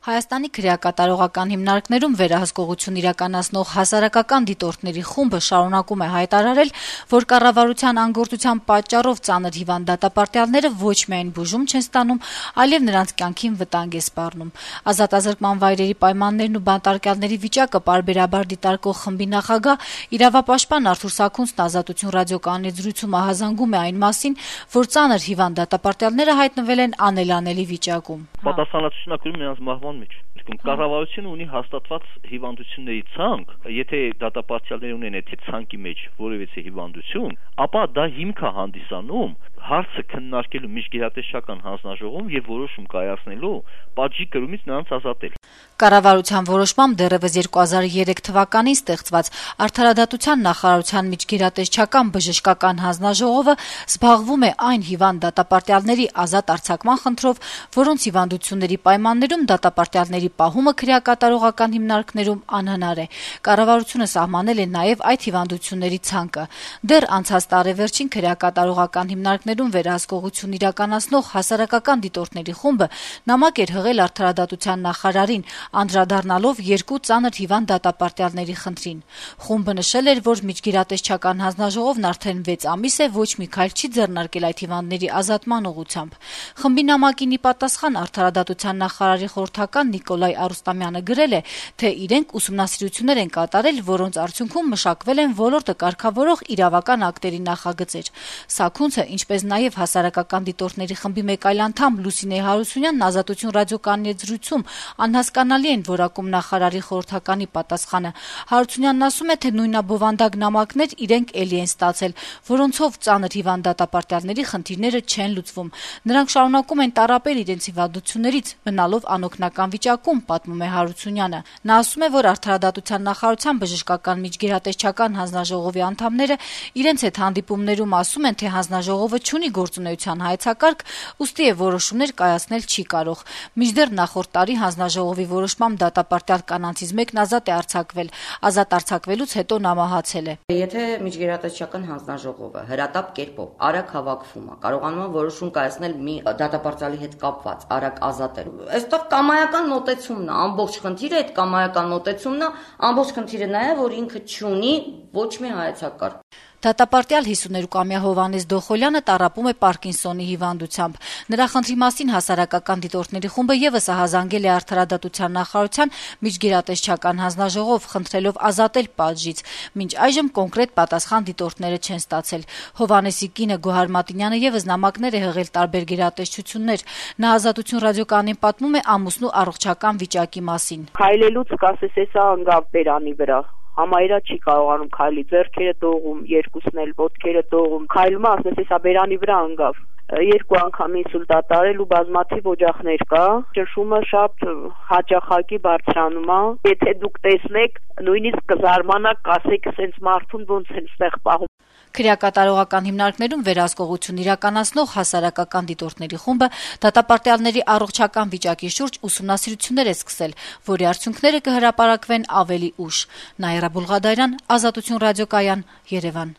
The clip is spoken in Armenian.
Հայաստանի քրեակատարողական հիմնարկներում վերահսկողություն իրականացնող հասարակական դիտորդների խումբը շարունակում է հայտարարել, որ կառավարության անգործության պատճառով ծանր հիվանդատապարտյալները ոչ միայն բուժում չեն ստանում, այլև նրանց կյանքին վտանգ է սպառնում։ Ազատազրկման վայրերի պայմաններն ու բանտարկյալների վիճակը պարբերաբար դիտարկող խմբի նախագահ, իրավապաշտպան Արթուր Սաքունցն Ազատություն ռադիոկայանի զրույցում ահազանգում է այն մասին, որ ծանր հիվանդատապարտյալները հայտնվել են անելանելի վիճակում։ Պատասխանատվությունն նրանց մահվան մեջ։ Կառավարությունը ունի հաստատված հիվանդությունների ցանկ, եթե դատապարտյալները ունեն այդ ցանկի մեջ որևէ հիվանդություն, ապա դա հիմք է հանդիսանում հարցը քննարկելու միջգերատեսչական հանձնաժողովում եւ որոշում կայացնելու պատժի կրումից նրանց ազատել։ Կառավարության որոշմամբ դեռևս 2003 թվականին ստեղծված Արդարադատության նախարարության միջգերատեսչական բժշկական հանձնաժողովը զբաղվում է այն հիվանդ դատապարտյալների ազատ արձակման խնդրով, որոնց հիվանդությունների պայմաններում դատապարտյալների պահումը քրեակատարողական հիմնարկներում անհնար է։ Կառավարությունը սահմանել է նաև այդ հիվանդությունների ցանկը։ Դեռ անցած տարեվերջին քրեակատարողական հիմնարկներում վերահսկողություն իրականացնող հասարակական դիտորդների խումբը նամակ էր հղել Արդարադատության նախարարին, անդրադառնալով երկու ծանր հիվանդ դատապարտյալների խնդրին։ Խումբը նշել էր, որ միջգերատեսչական հանձնաժողովն արդեն 6 ամիս է ոչ մի քայլ չի ձեռնարկել այդ հիվանդների ազատման ուղղությամբ։ Խմբի նամակին ի պատասխան Արդարադատության նախարարի խորհրդական Նիկոլայ Արուստամյանը գրել է, թե իրենք ուսումնասիրություններ են կատարել, որոնց արդյունքում մշակվել են ոլորտը կարգավորող իրավական ակտերի նախագծեր։ Սաքունցը, ինչպես նաև հասարակական դիտորդների խմբի մեկ այլ անդամ Լուսինե Հարությունյանն Ազատություն ռադիոկայանի զրույցում անհասկանալի են որակում նախարարի խորհրդականի պատասխանը։ Հարությունյանն ասում է, թե նույնաբովանդակ նամակներ իրենք էլի են ստացել, որոնցով ծանր հիվանդատապարտյալների խնդիրները չեն լուծվում։ Նրանք շարունակում են տառապել իրենց հիվանդություններից, մնալով անօգնական վիճակում, պատմում է Հարությունյանը։ Նա ասում է, որ Արդարադատության նախարարության բժշկական միջգերատեսչական հանձնաժողովի անդամները իրենց հետ հանդիպումներում ասում են, թե հանձնաժողովը չունի գործունեության հայեցակարգ, ուստի է որոշումներ կայացնել չի կարող։ Մինչդեռ նախորդ տարի հանձնաժողովի որոշմամբ դատապարտյալ կանանցից մեկն ազատ է արձակվել։ Ազատ արձակվելուց հետո նա մահացել է։ Եթե միջգերատեսչական հանձնաժողովը հրատապ կերպով արագ հավաքվում է, կարողանում է որոշում կայացնել մի դատապարտյալի հետ կապված, արագ ազատել։ Այստեղ կամայական մոտեցումն է, ամբողջ խնդիրը այդ կամայական մոտեցումն է, ամբողջ խնդիրը նա է, որ ինքը չունի ոչ մի հայեցակարգ։ Դատապարտյալ 52-ամյա Հովհաննես Դոխոլյանը տառապում է Պարկինսոնի հիվանդությամբ։ Նրա խնդրի մասին հասարակական դիտորդների խումբը ևս ահազանգել է Արդարադատության նախարարության միջգերատեսչական հանձնաժողով, խնդրելով ազատել պատժից։ Մինչ այժմ կոնկրետ պատասխան դիտորդները չեն ստացել։ Հովհաննեսի կինը Գոհար Մատինյանը ևս նամակներ է հղել տարբեր գերատեսչություններ։ Նա Ազատություն ռադիոկայանին պատմում է ամուսնու առողջական վիճակի մասին։ Քայլելուց կասես էսա ընկավ բերանի վրա։ Համայրա չի կարողանում քայլի, ձեռքերը դողում, երկուսն էլ ոտքերը դողում։ Քայլում է, ասես էսա բերանի վրա ընկավ։ 2 անգամ ինսուլտ է տարել ու բազմաթիվ օջախներ կա։ Ճնշումը շատ հաճախակի բարձրանում է։ Եթե դուք տեսնեք, նույնիսկ կզարմանաք, կասեք, սենց մարդուն ոնց են ստեղ պահում։ Քրեակատարողական հիմնարկներում վերահսկողություն իրականացնող հասարակական դիտորդների խումբը դատապարտյալների առողջական վիճակի շուրջ ուսումնասիրություններ է սկսել, որի արդյունքները կհրապարակվեն ավելի ուշ։ Նաիրա Բուլղադարյան, Ազատություն ռադիոկայան, Երևան։